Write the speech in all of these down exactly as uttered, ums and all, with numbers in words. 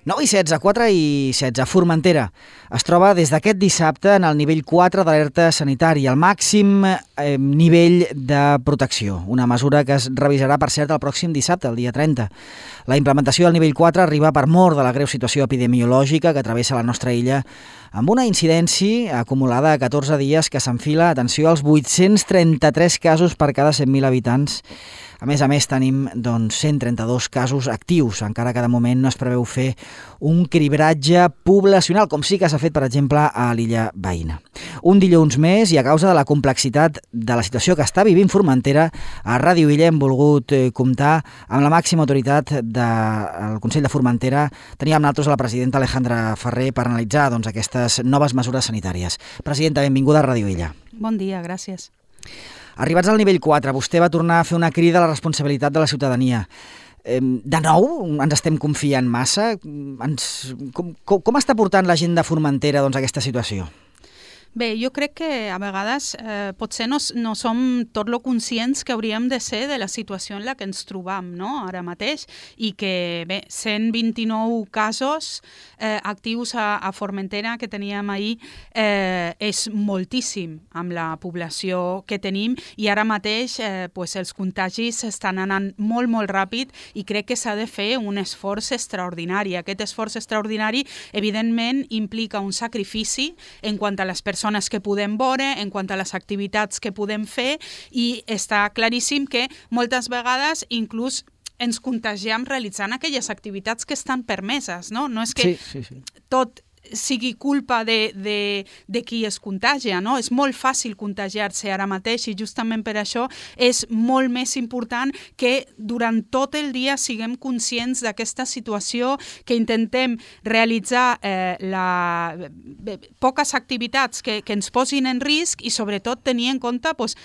nou i setze, quatre i setze. Formentera es troba des d'aquest dissabte en el nivell quatre d'alerta sanitària, el màxim eh, nivell de protecció. Una mesura que es revisarà, per cert, el pròxim dissabte, el dia trenta. La implementació del nivell quatre arriba per mort de la greu situació epidemiològica que travessa la nostra illa, amb una incidència acumulada a catorze dies que s'enfila, atenció, als vuit-cents trenta-tres casos per cada cent mil habitants. A més a més, tenim doncs, cent trenta-dos casos actius, encara que de moment no es preveu fer un cribratge poblacional, com sí que s'ha fet, per exemple, a l'illa veïna. Un dilluns més, i a causa de la complexitat de la situació que està vivint Formentera, a Ràdio Illa hem volgut comptar amb la màxima autoritat del Consell de Formentera. Teníem nosaltres a la presidenta Alejandra Ferrer per analitzar doncs, aquestes noves mesures sanitàries. Presidenta, benvinguda a Ràdio Illa. Bon dia, gràcies. Arribats al nivell quatre, vostè va tornar a fer una crida a la responsabilitat de la ciutadania. De nou, ens estem confiant massa? Ens, com, com, com està portant la gent de Formentera doncs, aquesta situació? Bé, jo crec que a vegades eh, potser no, no som tot lo conscients que hauríem de ser de la situació en la que ens trobam, no?, ara mateix, i que, bé, cent vint-i-nou casos eh, actius a, a Formentera que teníem ahir eh, és moltíssim amb la població que tenim, i ara mateix eh, pues els contagis estan anant molt, molt ràpid, i crec que s'ha de fer un esforç extraordinari. Aquest esforç extraordinari, evidentment, implica un sacrifici en quant a les persones persones que podem veure, en quant a les activitats que podem fer, i està claríssim que moltes vegades inclús ens contagiem realitzant aquelles activitats que estan permeses, no? No és que sí, sí, sí. tot sigui culpa de, de, de qui es contagia, no? És molt fàcil contagiar-se ara mateix, i justament per això és molt més important que durant tot el dia siguem conscients d'aquesta situació, que intentem realitzar eh, la, eh, poques activitats que, que ens posin en risc, i sobretot tenir en compte pues,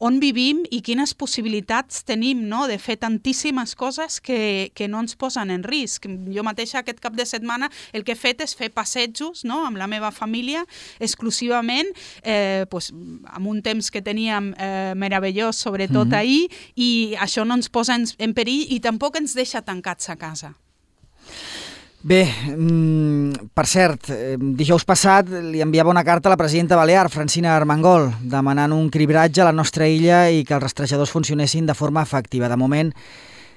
on vivim i quines possibilitats tenim, no?, de fer tantíssimes coses que, que no ens posen en risc. Jo mateixa aquest cap de setmana el que he fet és fer passejos, no?, amb la meva família exclusivament, eh, pues, amb un temps que teníem eh, meravellós, sobretot mm-hmm. ahir, i això no ens posa en, en perill i tampoc ens deixa tancats a casa. Bé, mm, per cert, dijous passat li enviava una carta a la presidenta balear, Francina Armengol, demanant un cribratge a la nostra illa i que els rastrejadors funcionessin de forma efectiva. De moment,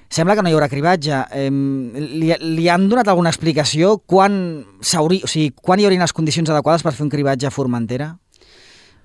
sembla que no hi haurà cribratge. Eh, li, li han donat alguna explicació? Quan, o sigui, quan hi haurien les condicions adequades per fer un cribratge a Formentera?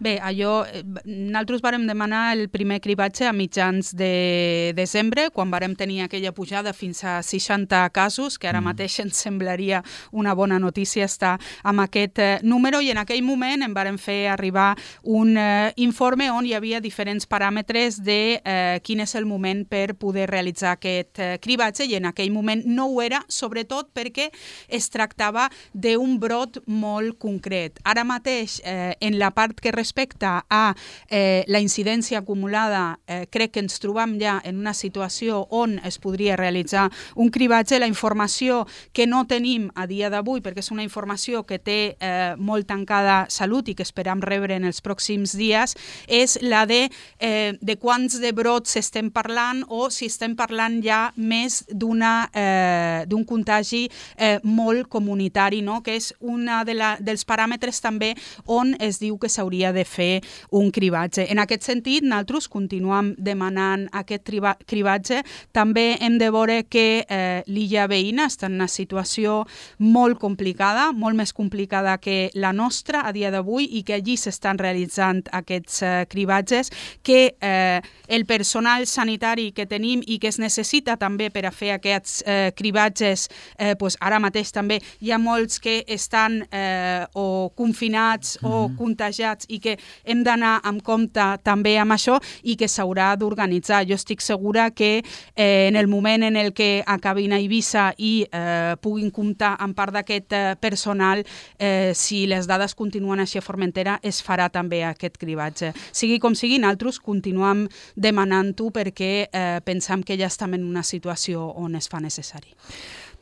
Bé, allò, nosaltres vàrem demanar el primer cribatge a mitjans de desembre, quan vàrem tenir aquella pujada fins a seixanta casos, que ara mateix ens semblaria una bona notícia estar amb aquest eh, número, i en aquell moment em vàrem fer arribar un eh, informe on hi havia diferents paràmetres de eh, quin és el moment per poder realitzar aquest eh, cribatge, i en aquell moment no ho era, sobretot perquè es tractava d'un brot molt concret. Ara mateix, eh, en la part que respecte a eh, la incidència acumulada, eh, crec que ens trobam ja en una situació on es podria realitzar un cribatge. La informació que no tenim a dia d'avui, perquè és una informació que té eh, molt tancada Salut i que esperam rebre en els pròxims dies, és la de, eh, de quants de brots estem parlant, o si estem parlant ja més d'una eh, d'un contagi eh, molt comunitari, no?, que és un de la, dels paràmetres també on es diu que s'hauria de fer un cribatge. En aquest sentit, nosaltres continuem demanant aquest cribatge. També hem de veure que eh, l'illa veïna està en una situació molt complicada, molt més complicada que la nostra a dia d'avui, i que allí s'estan realitzant aquests eh, cribatges, que eh, el personal sanitari que tenim i que es necessita també per a fer aquests eh, cribatges, eh, pues ara mateix també hi ha molts que estan eh, o confinats mm-hmm. o contagiats, i que hem d'anar amb compte també amb això, i que s'haurà d'organitzar. Jo estic segura que eh, en el moment en el que acabin a Eivissa i eh, puguin comptar amb part d'aquest eh, personal, eh, si les dades continuen així a Formentera, es farà també aquest cribatge. Sigui com sigui, nosaltres continuem demanant-ho perquè eh, pensam que ja estem en una situació on es fa necessari.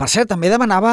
Per cert, també demanava,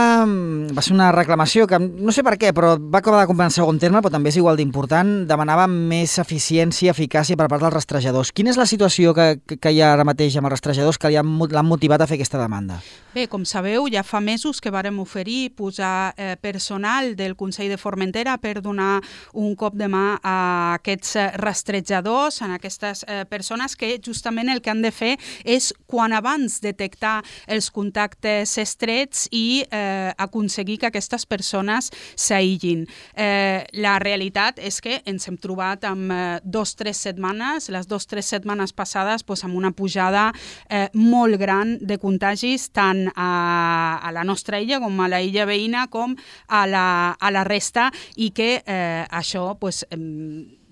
va ser una reclamació que no sé per què, però va acabar de comprar en segon terme, però també és igual d'important, demanava més eficiència, eficàcia per part dels rastrejadors. Quina és la situació que, que hi ha ara mateix amb els rastrejadors que li han, l'han motivat a fer aquesta demanda? Bé, com sabeu, ja fa mesos que vàrem oferir posar eh, personal del Consell de Formentera per donar un cop de mà a aquests rastrejadors, a aquestes eh, persones que justament el que han de fer és, quan abans, detectar els contactes estrets i eh, aconseguir que aquestes persones s'aïllin. Eh, la realitat és que ens hem trobat amb eh, dos o tres setmanes, les dues o tres setmanes passades, doncs, amb una pujada eh, molt gran de contagis, tant a, a la nostra illa com a la illa veïna com a la, a la resta, i que eh, això pues, eh,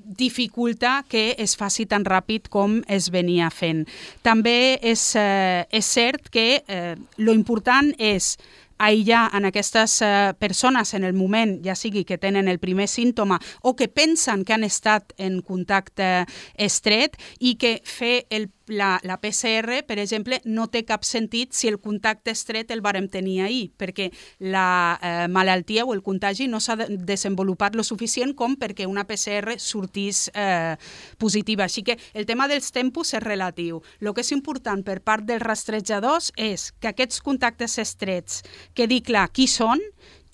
dificulta que es faci tan ràpid com es venia fent. També és, eh, és cert que eh, lo important és aïllar en aquestes eh, persones en el moment, ja sigui que tenen el primer símptoma o que pensen que han estat en contacte estret, i que fer el La, la P C R, per exemple, no té cap sentit si el contacte estret el vàrem tenir ahir, perquè la eh, malaltia o el contagi no s'ha de desenvolupat lo suficient com perquè una P C R sortís eh, positiva. Així que el tema dels tempos és relatiu. El que és important per part dels rastrejadors és que aquests contactes estrets quedi clar qui són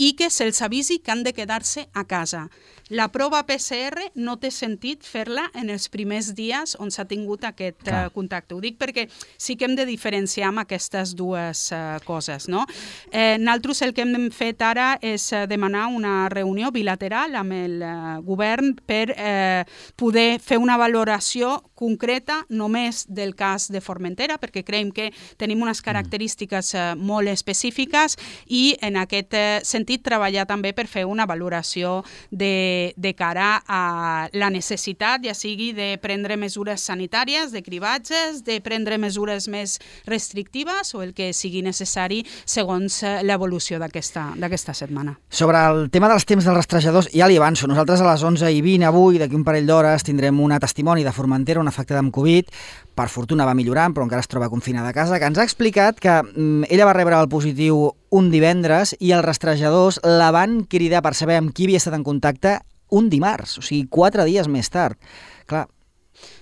i que se'ls avisi que han de quedar-se a casa. La prova P C R no té sentit fer-la en els primers dies on s'ha tingut aquest uh, contacte. Ho dic perquè sí que hem de diferenciar amb aquestes dues uh, coses, no? Eh, nosaltres el que hem fet ara és uh, demanar una reunió bilateral amb el uh, govern per eh, poder fer una valoració concreta només del cas de Formentera, perquè creiem que tenim unes característiques uh, molt específiques, i en aquest uh, sentit treballar també per fer una valoració de, de cara a la necessitat, ja sigui de prendre mesures sanitàries, de cribatges, de prendre mesures més restrictives o el que sigui necessari segons l'evolució d'aquesta d'aquesta setmana. Sobre el tema dels temps dels rastrejadors, ja li avanço, nosaltres a les onze i vint avui, d'aquí un parell d'hores, tindrem una testimoni de Formentera, una afectada amb Covid, per fortuna va millorant, però encara es troba confinada a casa, que ens ha explicat que mm, ella va rebre el positiu un divendres i els rastrejadors la van cridar per saber amb qui havia estat en contacte un dimarts, o sigui, quatre dies més tard. Clar.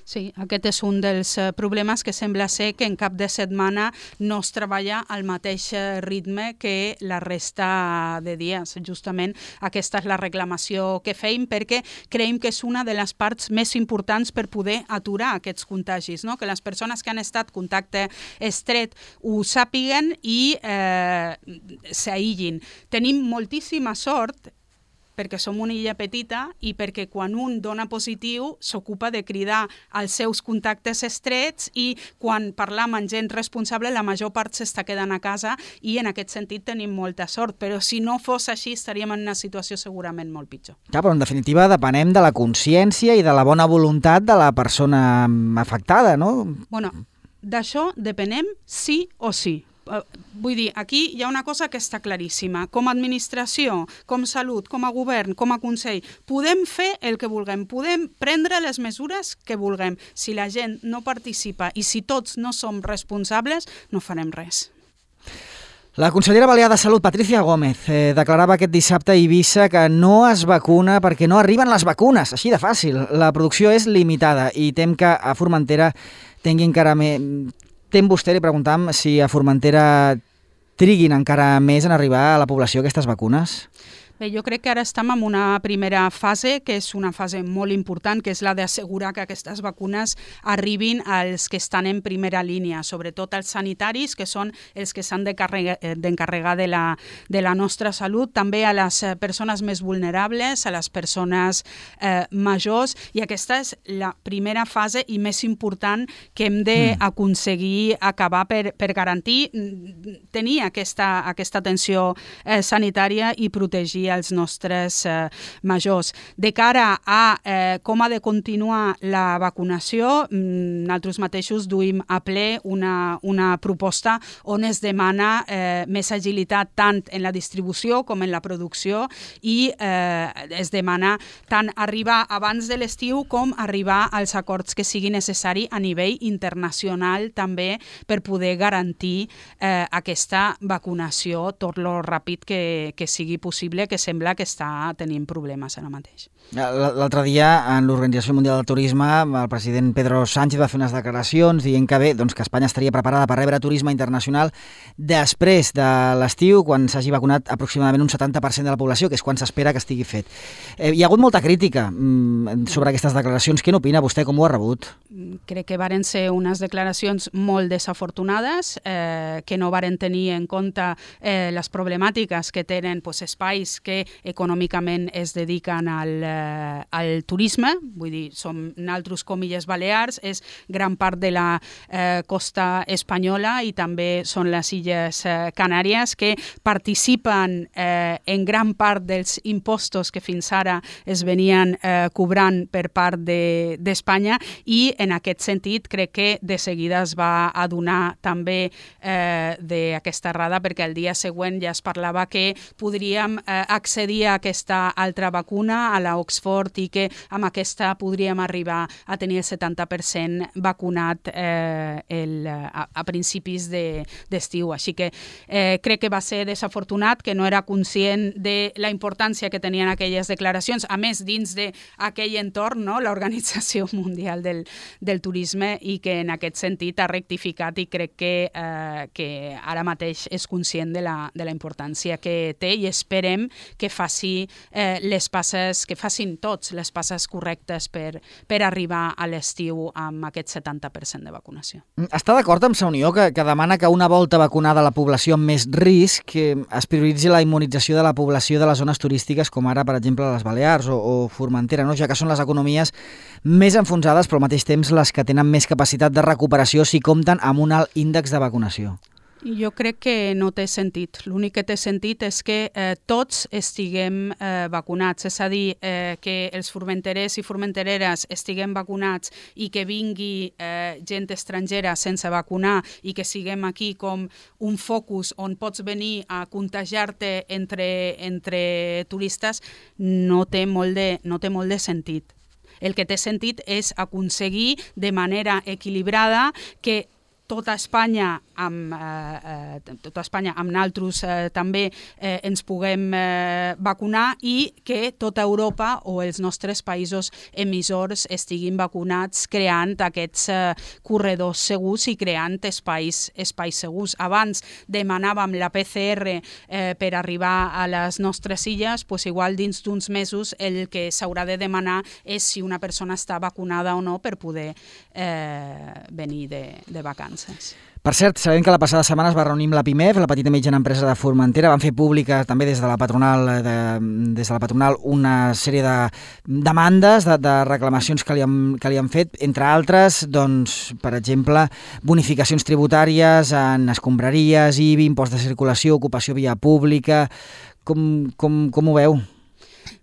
Sí, aquest és un dels problemes que sembla ser que en cap de setmana no es treballa al mateix ritme que la resta de dies. Justament aquesta és la reclamació que feim, perquè creiem que és una de les parts més importants per poder aturar aquests contagis, no? Que les persones que han estat contacte estret ho sàpiguen i eh, s'aïllin. Tenim moltíssima sort perquè som una illa petita i perquè quan un dona positiu s'ocupa de cridar als seus contactes estrets, i quan parlam amb gent responsable la major part s'està quedant a casa, i en aquest sentit tenim molta sort, però si no fos així estaríem en una situació segurament molt pitjor. Ja, però en definitiva depenem de la consciència i de la bona voluntat de la persona afectada, no? Bueno, d'això depenem sí o sí. Vull dir, aquí hi ha una cosa que està claríssima. Com a administració, com salut, com a govern, com a consell, podem fer el que vulguem, podem prendre les mesures que vulguem. Si la gent no participa i si tots no som responsables, no farem res. La consellera balear de Salut, Patricia Gómez, eh, declarava aquest dissabte a Eivissa que no es vacuna perquè no arriben les vacunes, així de fàcil. La producció és limitada i tem que a Formentera tingui encara més... Tem vostè, li preguntàvem si a Formentera triguin encara més en arribar a la població aquestes vacunes? Bé, jo crec que ara estem en una primera fase, que és una fase molt important, que és la d'assegurar que aquestes vacunes arribin als que estan en primera línia, sobretot als sanitaris, que són els que s'han d'encarregar de la, de la nostra salut, també a les persones més vulnerables, a les persones eh, majors, i aquesta és la primera fase i més important que hem d'aconseguir acabar per, per garantir tenir aquesta, aquesta atenció eh, sanitària i protegir als nostres eh, majors. De cara a eh, com ha de continuar la vacunació, nosaltres mateixos duim a ple una, una proposta on es demana eh, més agilitat tant en la distribució com en la producció i eh, es demana tant arribar abans de l'estiu com arribar als acords que sigui necessari a nivell internacional també per poder garantir eh, aquesta vacunació tot lo ràpid que, que sigui possible, que sembla que està tenint problemes ara mateix. L'altre dia, en l'Organització Mundial del Turisme, el president Pedro Sánchez va fer unes declaracions dient que bé, doncs que Espanya estaria preparada per rebre turisme internacional després de l'estiu, quan s'hagi vacunat aproximadament un setanta per cent de la població, que és quan s'espera que estigui fet. Eh, hi ha hagut molta crítica mm, sobre aquestes declaracions. Què n'opina vostè? Com ho ha rebut? Crec que varen ser unes declaracions molt desafortunades, eh, que no varen tenir en compte eh, les problemàtiques que tenen pues, espais que econòmicament es dediquen al, eh, al turisme, vull dir, som naltros com Illes Balears, és gran part de la eh, costa espanyola i també són les Illes eh, Canàries que participen eh, en gran part dels impostos que fins ara es venien eh, cobrant per part de, d'Espanya i en aquest sentit crec que de seguida es va adonar també eh, d'aquesta errada perquè el dia següent ja es parlava que podríem eh, accedir a aquesta altra vacuna, a la Oxford, i que amb aquesta podríem arribar a tenir el setanta per cent vacunat eh, el, a, a principis de, d'estiu. Així que eh, crec que va ser desafortunat, que no era conscient de la importància que tenien aquelles declaracions, a més dins d'aquell entorn, no? l'Organització Mundial del, del Turisme, i que en aquest sentit ha rectificat i crec que, eh, que ara mateix és conscient de la, de la importància que té i esperem que faci eh, les passes, que facin tots les passes correctes per, per arribar a l'estiu amb aquest setanta per cent de vacunació. Està d'acord amb Sa Unió que, que demana que una volta vacunada la població amb més risc que es prioritzi la immunització de la població de les zones turístiques com ara, per exemple, les Balears o, o Formentera, no? Ja que són les economies més enfonsades però al mateix temps les que tenen més capacitat de recuperació si compten amb un alt índex de vacunació. Jo crec que no té sentit. L'únic que té sentit és que eh, tots estiguem eh, vacunats, és a dir, eh, que els formenterers i formentereres estiguem vacunats i que vingui eh, gent estrangera sense vacunar i que siguem aquí com un focus on pots venir a contagiar-te entre, entre turistes, no té molt de, no té molt de sentit. El que té sentit és aconseguir de manera equilibrada que tota Espanya amb, eh, eh, tota Espanya amb naltros eh, també eh, ens puguem eh, vacunar i que tota Europa o els nostres països emissors estiguin vacunats creant aquests eh, corredors segurs i creant espais, espais segurs. Abans demanàvem la P C R eh, per arribar a les nostres illes, doncs igual dins d'uns mesos el que s'haurà de demanar és si una persona està vacunada o no per poder eh, venir de, de vacances. Per cert, sabem que la passada setmana es va reunir amb la PIMEF, la petita i mitjana empresa de Formentera. Van fer pública també des de la patronal, de, des de la patronal una sèrie de demandes, de, de reclamacions que li, han, que li han fet, entre altres, doncs, per exemple, bonificacions tributàries en escombraries, I B I, impost de circulació, ocupació via pública. Com, com, com ho veu?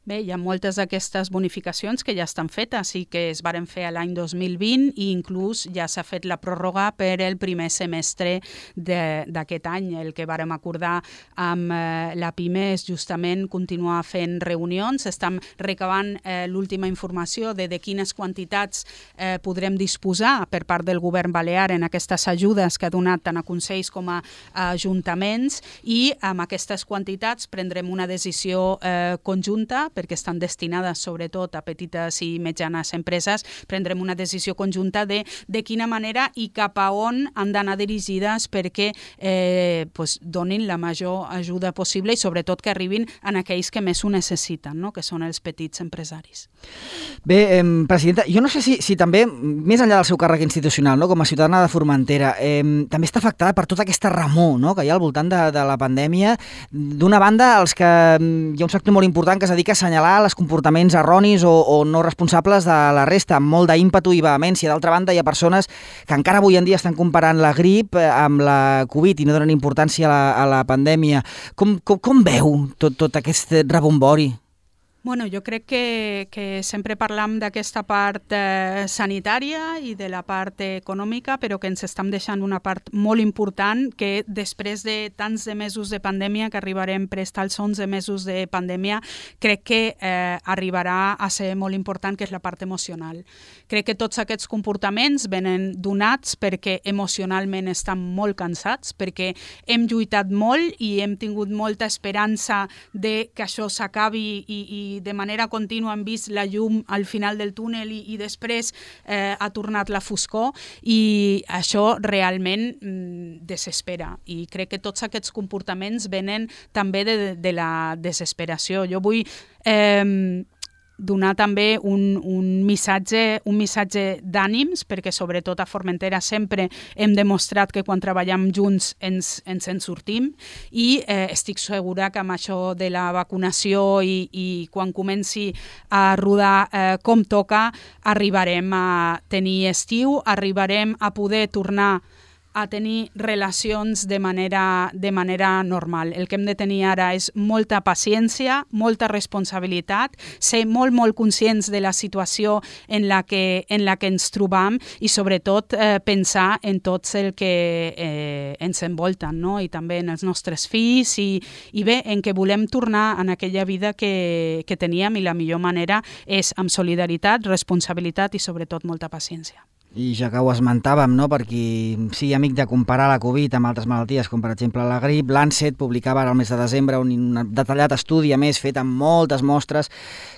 Bé, hi ha moltes d'aquestes bonificacions que ja estan fetes i que es varen fer l'any dos mil vint i inclús ja s'ha fet la pròrroga per el primer semestre d'aquest any. El que vàrem acordar amb eh, la PIME és justament continuar fent reunions. Estem recabant eh, l'última informació de, de quines quantitats eh, podrem disposar per part del govern balear en aquestes ajudes que ha donat tant a consells com a, a ajuntaments i amb aquestes quantitats prendrem una decisió eh, conjunta perquè estan destinades sobretot a petites i mitjanes empreses, prendrem una decisió conjunta de, de quina manera i cap a on han d'anar dirigides perquè eh, pues, donin la major ajuda possible i sobretot que arribin a aquells que més ho necessiten, no? Que són els petits empresaris. Bé, eh, presidenta, jo no sé si, si també, més enllà del seu càrrec institucional, no? Com a ciutadana de Formentera, eh, també està afectada per tota aquesta remor, no? Que hi ha al voltant de, de la pandèmia. D'una banda, els que hi ha un sector molt important que es dedica a assenyalar els comportaments erronis o, o no responsables de la resta, amb molt d'ímpetu i vehemència. D'altra banda, hi ha persones que encara avui en dia estan comparant la grip amb la Covid i no donen importància a la, a la pandèmia. Com, com, com veu tot, tot aquest rebombori? Bueno, jo crec que, que sempre parlam d'aquesta part eh, sanitària i de la part econòmica, però que ens estem deixant una part molt important que després de tants de mesos de pandèmia, que arribarem prest als onze mesos de pandèmia, crec que eh, arribarà a ser molt important, que és la part emocional. Crec que tots aquests comportaments venen donats perquè emocionalment estan molt cansats, perquè hem lluitat molt i hem tingut molta esperança de que això s'acabi i, i de manera contínua hem vist la llum al final del túnel i, i després eh, ha tornat la foscor i això realment mm, desespera i crec que tots aquests comportaments venen també de, de la desesperació. Jo vull eh, donar també un, un missatge, un missatge d'ànims, perquè sobretot a Formentera sempre hem demostrat que quan treballem junts ens, ens en sortim i eh, estic segura que amb això de la vacunació i, i quan comenci a rodar eh, com toca, arribarem a tenir estiu, arribarem a poder tornar a tenir relacions de manera, de manera normal. El que hem de tenir ara és molta paciència, molta responsabilitat, ser molt, molt conscients de la situació en la que, en la que ens trobam i sobretot eh, pensar en tots el que eh, ens envolten, no? I també en els nostres fills i, i bé, en què volem tornar en aquella vida que, que teníem i la millor manera és amb solidaritat, responsabilitat i sobretot molta paciència. I ja que ho esmentàvem, no? Per qui sigui amic de comparar la Covid amb altres malalties, com per exemple la grip, l'Lancet publicava ara al mes de desembre un, un detallat estudi, a més, fet amb moltes mostres,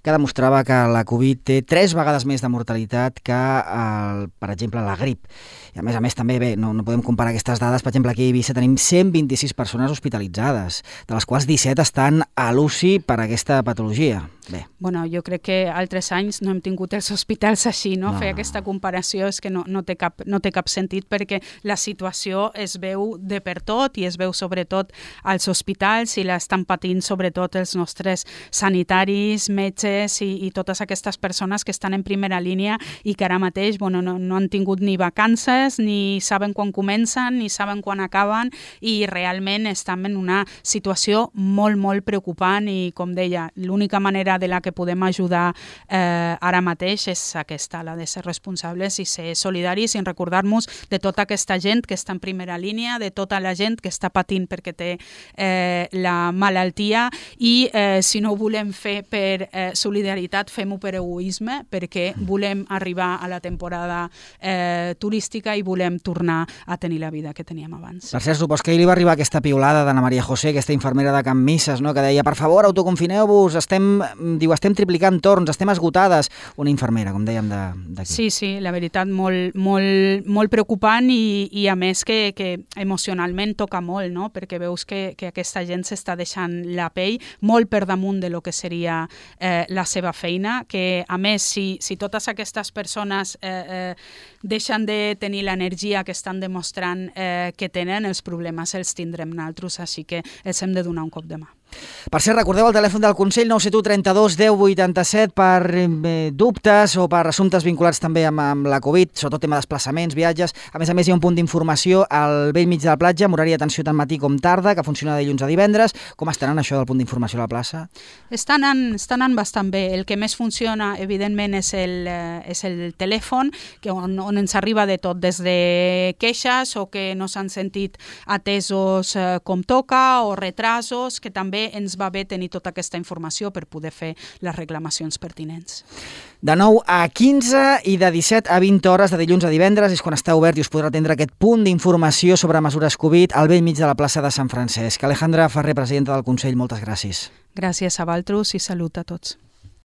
que demostrava que la Covid té tres vegades més de mortalitat que, el, per exemple, la grip. I a més a més també, bé, no, no podem comparar aquestes dades, per exemple, aquí a Eivissa tenim cent vint-i-sis persones hospitalitzades, de les quals disset estan a l'U C I per aquesta patologia. Bé. Bueno, jo crec que altres anys no hem tingut els hospitals així, no? no. Fer aquesta comparació és que no, no, té cap, no té cap sentit perquè la situació es veu de per tot i es veu sobretot als hospitals i l'estan patint sobretot els nostres sanitaris, metges i, i totes aquestes persones que estan en primera línia i que ara mateix bueno, no, no han tingut ni vacances, ni saben quan comencen, ni saben quan acaben i realment estan en una situació molt, molt preocupant i, com deia, l'única manera de la que podem ajudar eh, ara mateix és aquesta, la de ser responsables i ser solidaris i recordar-nos de tota aquesta gent que està en primera línia, de tota la gent que està patint perquè té eh, la malaltia i eh, si no ho volem fer per eh, solidaritat, fem-ho per egoisme perquè volem arribar a la temporada eh, turística i volem tornar a tenir la vida que teníem abans. Per cert, supos que ahir li va arribar aquesta piulada d'Anna Maria José, aquesta infermera de Can Misses, no? Que deia, per favor, autoconfineu-vos, estem diu, estem triplicant torns, estem esgotades. Una infermera, com dèiem, d'aquí. Sí, sí, la veritat, molt, molt, molt preocupant i, i a més que, que emocionalment toca molt, no? Perquè veus que, que aquesta gent s'està deixant la pell molt per damunt de lo que seria eh, la seva feina, que a més, si, si totes aquestes persones eh, eh, deixen de tenir l'energia que estan demostrant eh, que tenen, els problemes els tindrem naltros, així que els hem de donar un cop de mà. Per cert, recordeu el telèfon del Consell nou set u trenta-dos deu vuitanta-set per eh, dubtes o per assumptes vinculats també amb, amb la Covid, sobretot tema desplaçaments, viatges. A més a més, hi ha un punt d'informació al vell mig de la platja, amb horari d'atenció tant matí com tarda, que funciona de dilluns a divendres. Com està anant això del punt d'informació a la plaça? Està anant, està anant bastant bé. El que més funciona, evidentment, és el, eh, és el telèfon, que on, on ens arriba de tot, des de queixes o que no s'han sentit atesos eh, com toca o retrasos, que també ens va bé tenir tota aquesta informació per poder fer les reclamacions pertinents. De nou a quinze i de disset a vint hores de dilluns a divendres és quan està obert i us podrà atendre aquest punt d'informació sobre mesures Covid al vell mig de la plaça de Sant Francesc. Alejandra Ferrer, presidenta del Consell, moltes gràcies. Gràcies a vosaltres i salut a tots.